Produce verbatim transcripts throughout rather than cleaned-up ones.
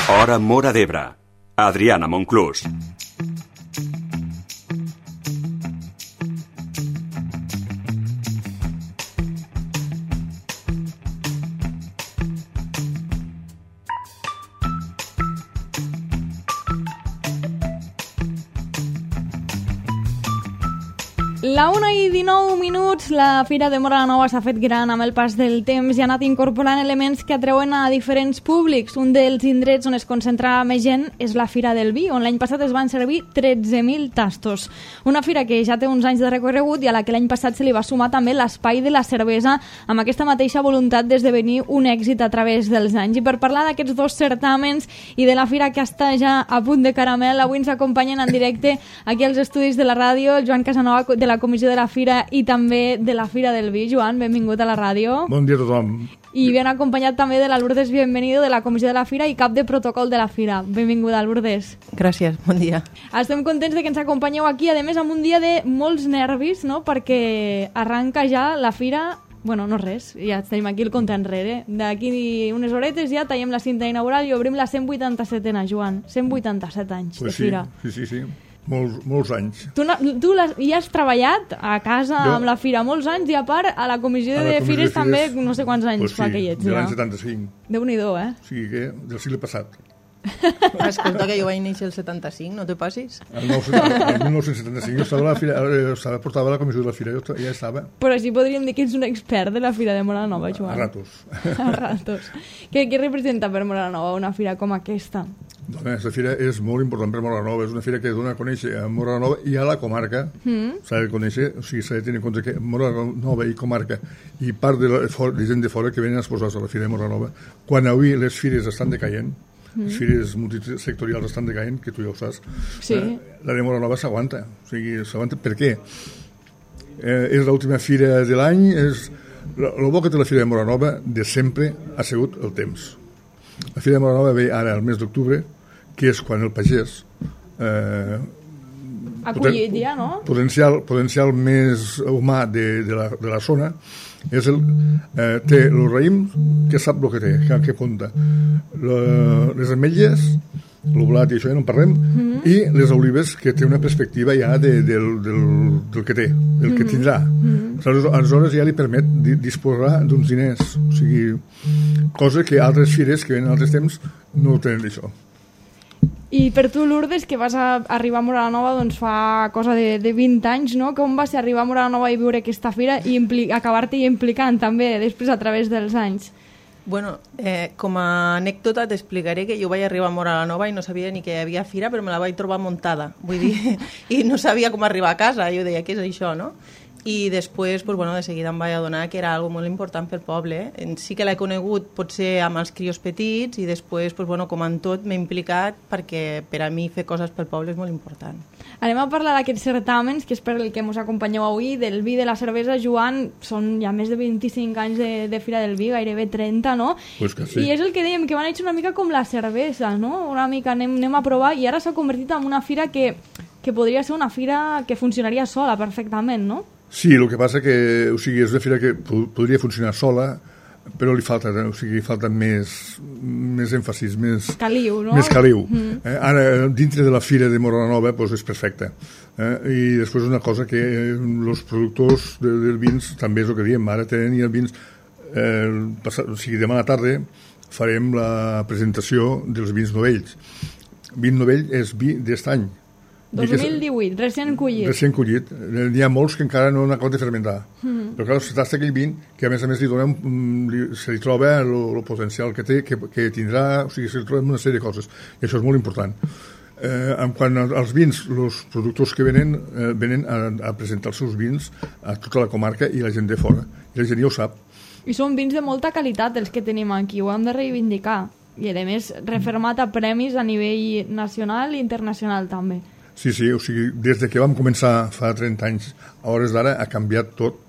Hora Móra d'Ebre. Adriana Monclús. La una i dinou minuts, la Fira de Móra la Nova s'ha fet gran amb el pas del temps i ha anat incorporant elements que atreuen a diferents públics. Un dels indrets on es concentra més gent és la Fira del Vi, on l'any passat es van servir tretze mil tastos. Una fira que ja té uns anys de recorregut i a la que l'any passat se li va sumar també l'espai de la cervesa amb aquesta mateixa voluntat d'esdevenir un èxit a través dels anys. I per parlar d'aquests dos certàmens i de la fira que està ja a punt de caramel, avui ens acompanyen en directe aquí als estudis de la ràdio el Joan Casanova de la Comissió de la Fira i també de la Fira del Vi. Joan, benvingut a la ràdio. Bon dia a tothom. I ben acompanyat també de la Lourdes Bienvenido de la Comissió de la Fira i cap de protocol de la Fira. Benvinguda, Lourdes. Gràcies, bon dia. Estem contents de que ens acompanyeu aquí, a més amb un dia de molts nervis, no? Perquè arranca ja la Fira. Bueno, no res, ja tenim aquí el compte enrere. D'aquí unes horetes ja tallem la cinta inaugural i obrim la cent vuitanta-setena, Joan. cent vuitanta-set anys pues de sí, Fira. Sí, sí, sí. Molts, molts anys. Tu, tu les, hi has treballat a casa jo, amb la Fira molts anys i a part a la comissió, la de, comissió Fires de Fires també no sé quants anys pues fa sí, que hi ets. de Ja. l'any setanta-cinc. Déu-n'hi-do, eh? O sigui que del segle passat. Escolta, que jo vaig néixer el setanta-cinc, no te passis? El, nou, el dinou setanta-cinc jo estava a la Fira, estava, portava a la comissió de la Fira, jo ja estava. Però així podríem dir que ets un expert de la Fira de Móra la Nova, Joan. A ratos. A ratos. Què, què representa per Móra la Nova una fira com aquesta? Doncs aquesta fira és molt important per Móra la Nova, és una fira que dona a conèixer a Móra la Nova i a la comarca, mm. s'ha de conèixer, o sigui, s'ha de tenir en compte que Móra la Nova i comarca i part de, la, de gent de fora que venen a exposar a la Fira de Móra la Nova, quan avui les fires estan decaient, mm. les fires multisectorials estan decaient, que tu ja ho saps, sí. eh, la de Móra la Nova s'aguanta, o sigui, s'aguanta per què? Eh, és l'última fira de l'any, és el bo que té la Fira de Móra la Nova de sempre ha sigut el temps. La Fira de Móra la Nova ve ara al mes d'octubre, que és quan el pagès eh, acollit ja, no? Potencial, potencial més humà de, de, la, de la zona és el, eh, té el raïm que sap el que té, que, que compta le, les ametlles, el blat i això ja no en parlem, mm-hmm. i les olives que té una perspectiva ja de, del, del, del que té, del mm-hmm. que tindrà. Mm-hmm. Aleshores ja li permet di, disposar d'uns diners, o sigui, cosa que altres fires que venen altres temps no tenen això. I per tu, Lourdes, que vas a arribar a Móra la Nova doncs fa cosa de, de vint anys, no? Com va ser arribar a Móra la Nova i viure aquesta fira i impli- acabar-te implicant també després a través dels anys? Bueno, eh, com a anècdota t'explicaré que jo vaig arribar a Móra la Nova i no sabia ni que hi havia fira, però me la vaig trobar muntada, vull dir, i no sabia com arribar a casa, jo deia, què és això, no? I després, pues, bueno, de seguida em vaig adonar que era algo molt important pel poble. Eh? Sí que l'he conegut potser amb els crios petits i després, pues, bueno, com en tot, m'he implicat perquè per a mi fer coses pel poble és molt important. Anem a parlar d'aquests certàmens, que és per el que ens acompanyeu avui, del vi, de la cervesa. Joan, són ja més de vint-i-cinc anys de, de Fira del Vi, gairebé trenta, no? Pues que sí. I és el que dèiem, que van néixer una mica com la cervesa, no? Una mica anem, anem a provar, i ara s'ha convertit en una fira que, que podria ser una fira que funcionaria sola perfectament, no? Sí, el que passa que, o sigui, és una fira que podria funcionar sola, però li falta, o sigui, falta més, més èmfasis, més caliu, no? Més caliu. Mm. Eh, ara, dintre de la fira de Móra la Nova, doncs és perfecte. Eh, I després una cosa que els productors de, del vins, també és el que diem, ara tenen i el vins, eh, passat, o sigui, demà a la tarda farem la presentació dels vins novells. Vin novell és vi d'estany. dos mil divuit, recent collit. Recent collit. N'hi ha molts que encara no han acabat de fermentar. Mm. Però clar, se tasta aquell vin que a més a més li donem, li, se li troba el potencial que té, que, que tindrà, o sigui, se li troba una sèrie de coses. I això és molt important. Eh, en quant als vins, els productors que venen, eh, venen a, a presentar els seus vins a tota la comarca i la gent de fora. I la gent ja ho sap. I són vins de molta qualitat els que tenim aquí, ho hem de reivindicar. I a més, refermat a premis a nivell nacional i internacional també. Sí, sí, o sigui, des de que vam començar fa trenta anys, a hores d'ara ha canviat tot.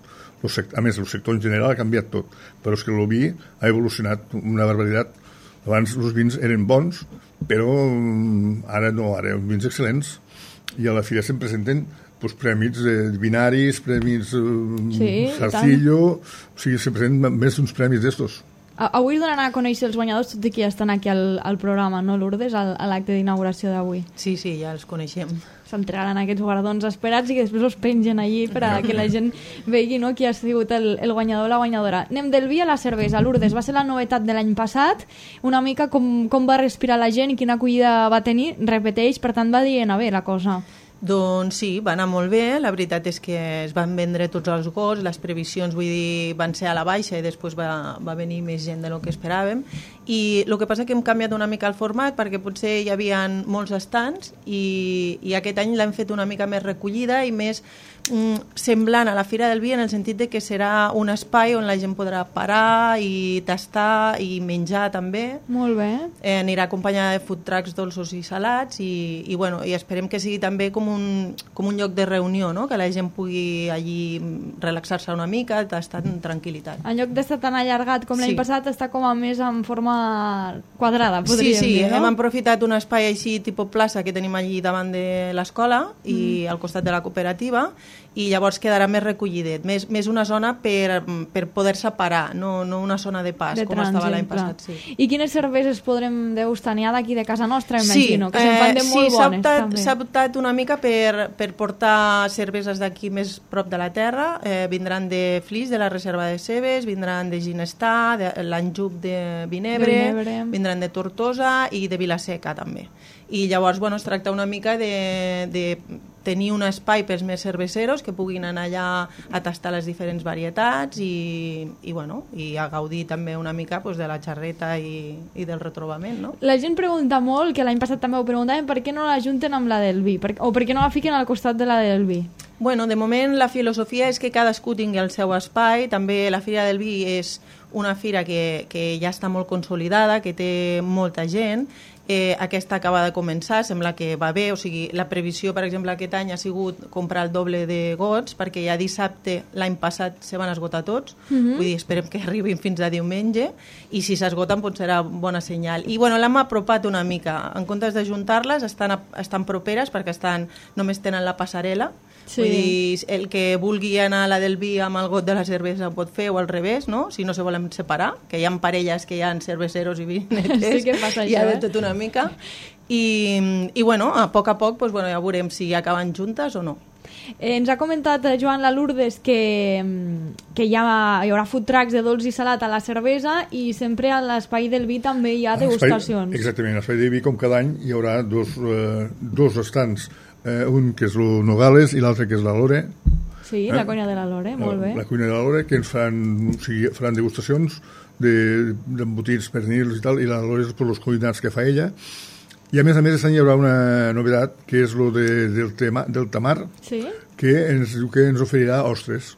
A més, el sector en general ha canviat tot, però és que el vi ha evolucionat una barbaritat. Abans els vins eren bons, però ara no, ara els vins excel·lents. I a la fira se'n presenten doncs, premis eh, binaris, premis eh, sí, Sarcillo, o sigui, se'n presenten més d'uns premis d'estos. Avui donaran a conèixer els guanyadors, tot i que ja estan aquí al, al programa, no, Lourdes, a l'acte d'inauguració d'avui. Sí, sí, ja els coneixem. S'entregaran aquests guardons esperats i que després els pengen allí per a que la gent vegi, no, qui ha sigut el, el guanyador o la guanyadora. Anem del vi a la cervesa. Lourdes, va ser la novetat de l'any passat, una mica com, com va respirar la gent i quina acollida va tenir, repeteix, per tant va dient a bé la cosa. Doncs sí, va anar molt bé, la veritat és que es van vendre tots els gots, les previsions, vull dir, van ser a la baixa i després va, va venir més gent del que esperàvem, i el que passa que hem canviat una mica el format perquè potser hi havia molts estants i, i aquest any l'hem fet una mica més recollida i més mm, semblant a la Fira del Vi en el sentit de que serà un espai on la gent podrà parar i tastar i menjar també. Molt bé. Eh, anirà acompanyada de food trucks dolços i salats i, i, bueno, i esperem que sigui també com un, com un lloc de reunió, no? Que la gent pugui allí relaxar-se una mica, estar en tranquil·litat. En lloc d'estar tan allargat com l'any Sí. passat, està com a més en forma quadrada, Sí, podríem sí, dir, no? hem aprofitat un espai així tipus plaça que tenim allí davant de l'escola i al costat de la cooperativa i llavors quedarà més recollidet, més, més una zona per, per poder-se parar, no, no una zona de pas, De com estava l'any trànsit, clar. passat. Sí. I quines cerveses podrem degustar? N'hi ha d'aquí de casa nostra, Sí, imagino, que se'n fan de eh, molt sí, s'ha bones, optat, també. s'ha optat una mica per, per portar cerveses d'aquí més prop de la terra, eh, vindran de Flix, de la Reserva de Cebes, vindran de Ginestà, de l'Anjup de Vinebre, Vinebre. vindran de Tortosa i de Vilaseca també. I llavors, bueno, es tracta una mica de, de tenir un espai pels més cerveceros que puguin anar allà a tastar les diferents varietats i, i, bueno, i a gaudir també una mica pues, de la xarreta i, i del retrobament, no? La gent pregunta molt, que l'any passat també ho preguntaven, per què no la junten amb la del vi? Per, o per què no la fiquen al costat de la del vi? Bueno, de moment la filosofia és que cadascú tingui el seu espai. També la Fira del Vi és una fira que, que ja està molt consolidada, que té molta gent. Eh, aquesta acaba de començar, sembla que va bé, o sigui, la previsió, per exemple, aquest any ha sigut comprar el doble de gots, perquè ja dissabte, l'any passat, se van esgotar tots, Mhm. vull dir, esperem que arribin fins a diumenge, i si s'esgoten, doncs serà bona senyal. I, bueno, l'hem apropat una mica, en comptes de juntar-les, estan, a, estan properes, perquè estan, només tenen la passarel·la, Sí. vull dir, el que vulgui anar a la del vi amb el got de la cervesa ho pot fer, o al revés, no? Si no se volen separar, que hi ha parelles que hi ha cerveceros i vinetes, Sí que passa hi ha això, de eh? tot una mica, i, i bueno, a poc a poc pues, bueno, ja veurem si acaben juntes o no. Eh, ens ha comentat eh, Joan la Lourdes que, mm, que hi, ha, hi haurà food trucks de dolç i salat a la cervesa i sempre a l'espai del vi també hi ha degustacions. Espai, exactament, a l'espai de vi, com cada any, hi haurà dos, eh, dos estants, eh, un que és el Nogales i l'altre que és la Lore. Sí, Eh? la conya de la Lore, molt bé. La cuina de la Lore, que ens faran, o sigui, faran degustacions d'embotits, de, pernils i tal, i la Lore és per els cuinats que fa ella. I a més a més, aquest any hi haurà una novetat, que és lo de, del, tema, del tamar, Sí? que ens diu que ens oferirà ostres.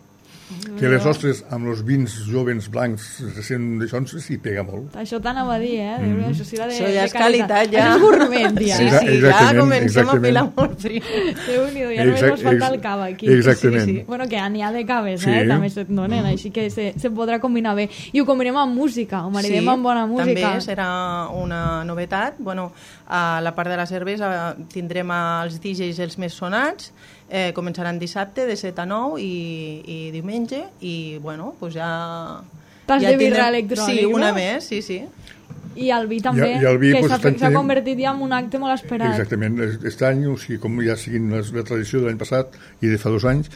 Que les ostres amb els vins jovens blancs recent d'això s'hi pega molt. Això t'anava a dir, eh? Mm -hmm. Això sí, de, Això ja de és qualitat, ja. Això és gourmet, ja. Sí, Exa- sí, ja exactament, comencem exactament. a filar molt frío. Déu-n'hi-do, ja només Exact- mos falta el ex- cava aquí. exactament. Sí, sí. Bueno, que n'hi ha de caves, Sí. eh? També se't donen, així que se, se podrà combinar bé. I ho combinem amb música, ho maridem Sí, amb bona música. també serà una novetat. Bueno, a la part de la cervesa tindrem els D Js els més sonats, eh, començaran dissabte de set a nou i, i diumenge, i bueno, pues ja... Tas ja de birra tindrem- electrònic, Sí, una no? més, sí, sí. I el vi també, I- i el vi, que pues, s'ha estan s'ha tenint- convertit ja en un acte molt esperat. Exactament. Aquest any, o sigui, com ja siguin les, la tradició de l'any passat i de fa dos anys,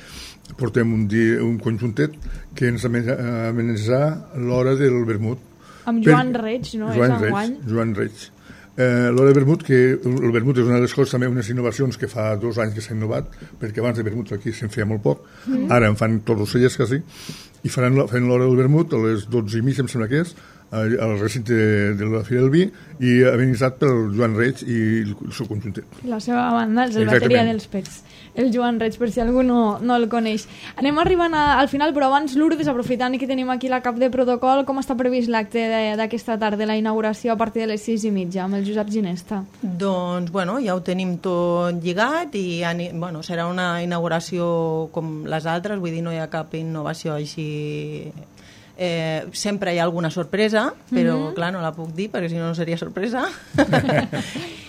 portem un, dia, un conjuntet que ens amenaçarà l'hora del vermut. Amb Joan Reig, no? Joan és Reig, enguany. Joan Reig. Eh, l'hora de vermut, que el vermut és una de les coses, també unes innovacions que fa dos anys que s'ha innovat, perquè abans de vermut aquí se'n feia molt poc, mm. ara en fan tots els cellers quasi, i faran, faran l'hora del vermut a les dotze i mitja, em sembla que és, al recinte de, de la Fira del Vi, i amenitzat pel Joan Reig i el, el seu conjuntet. La seva banda, el Exactament. bateria dels pets. El Joan Reig, per si algú no, no el coneix. Anem arribant a, al final, però abans, Lourdes, aprofitant que tenim aquí la cap de protocol, com està previst l'acte de- d'aquesta tarda, la inauguració a partir de les sis i mitja, amb el Josep Ginesta? Doncs, bueno, ja ho tenim tot lligat i ani- bueno, serà una inauguració com les altres, vull dir, no hi ha cap innovació així... Eh, sempre hi ha alguna sorpresa, però mm -hmm. clar, no la puc dir perquè si no no seria sorpresa.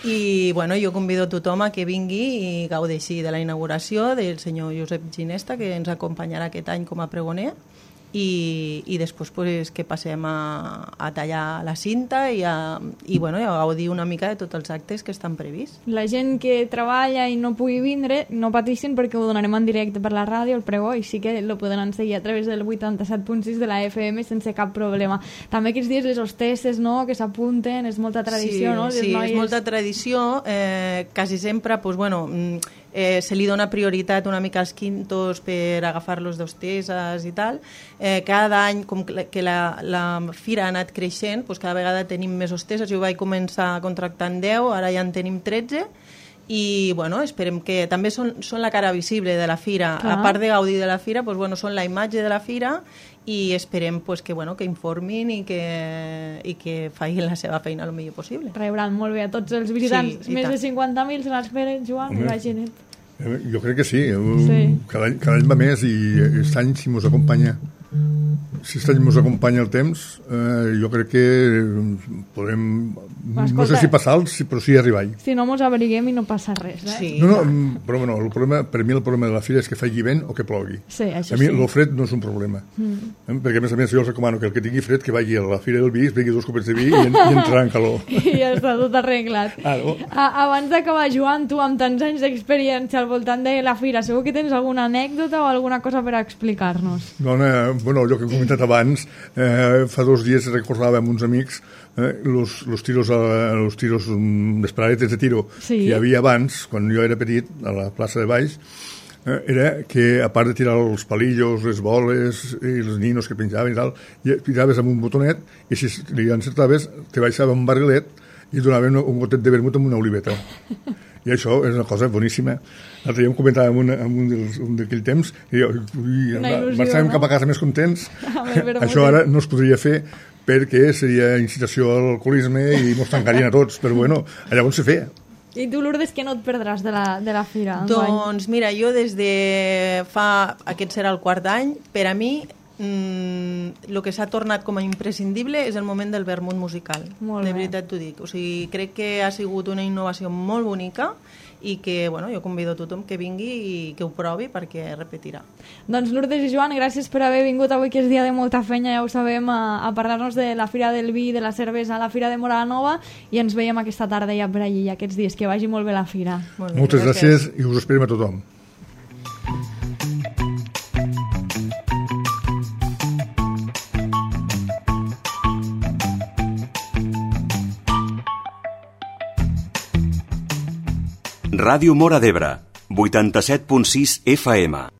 I bueno, jo convido a tothom a que vingui i gaudeixi de la inauguració del senyor Josep Ginesta, que ens acompanyarà aquest any com a pregoner. i, i després pues, que passem a, a tallar la cinta i, a, i, bueno, a gaudir una mica de tots els actes que estan prevists. La gent que treballa i no pugui vindre, no patissin perquè ho donarem en directe per la ràdio, el pregó, i sí que lo podran seguir a través del vuitanta-set punt sis de la F M sense cap problema. També aquests dies les hostesses, no?, que s'apunten, és molta tradició, sí, no? Les sí, noies... és molta tradició. Eh, quasi sempre, pues, bueno, eh, se li dona prioritat una mica als quintos per agafar-los d'hostesses i tal. Eh, cada any, com que la, la fira ha anat creixent, pues cada vegada tenim més hostesses. Jo vaig començar contractant deu, ara ja en tenim tretze, i bueno, esperem que també són, són la cara visible de la fira. Clar. A part de gaudir de la fira, pues, bueno, són la imatge de la fira, i esperem pues, que, bueno, que informin i que, i que facin la seva feina el millor possible. Rebran molt bé a tots els visitants. Sí, més de cinquanta mil se l'esperen, Joan, imagina't. Jo crec que sí. sí. Cada, any, cada any va més i aquest any, si mos acompanya si aquest any mos acompanya el temps, eh, jo crec que podrem, escolta, no sé si passar-los, però sí arribar-hi. Si no mos abriguem i no passa res, eh? Sí. No, no, però bueno, el problema, per mi el problema de la fira és que faci vent o que plogui. Sí, això a mi sí. el fred no és un problema. Mm. Eh? Perquè a més a més jo els recomano que el que tingui fred que vagi a la fira del vi, es begui dos copets de vi i, en, i entrarà en calor. I ja està tot arreglat. Ah, no? a, abans d'acabar, Joan, tu amb tants anys d'experiència al voltant de la fira, segur que tens alguna anècdota o alguna cosa per explicar-nos? Dona, bueno, allò que he comentat abans, eh, fa dos dies recordava amb uns amics eh, los, los tiros, a, los tiros les paradetes de tiro sí. que hi havia abans, quan jo era petit, a la plaça de Baix, eh, era que a part de tirar els palillos, les boles i els ninos que penjaven i tal, i tiraves amb un botonet i si li encertaves te baixava un barrilet i donaven un gotet de vermut amb una oliveta. I això és una cosa boníssima. L'altre dia em comentàvem un, un, dels, un d'aquell temps i jo, ui, marxàvem no? cap a casa més contents. Això ara no es podria fer perquè seria incitació a l'alcoholisme i mos tancarien a tots, però bueno, allà on se feia. I tu, Lourdes, què no et perdràs de la, de la fira? Doncs mira, jo des de fa... aquest serà el quart any, per a mi mm, el que s'ha tornat com a imprescindible és el moment del vermut musical. Molt de bé. veritat t'ho dic. O sigui, crec que ha sigut una innovació molt bonica i que, bueno, jo convido a tothom que vingui i que ho provi perquè repetirà. Doncs Lourdes i Joan, gràcies per haver vingut avui, que és dia de molta feina, ja ho sabem, a, a parlar-nos de la Fira del Vi, de la cervesa, a la Fira de Móra la Nova, i ens veiem aquesta tarda ja per allí, aquests dies. Que vagi molt bé la fira. Molt bé, moltes gràcies. gràcies i us esperem a tothom. Ràdio Móra d'Ebre, vuitanta-set punt sis F M.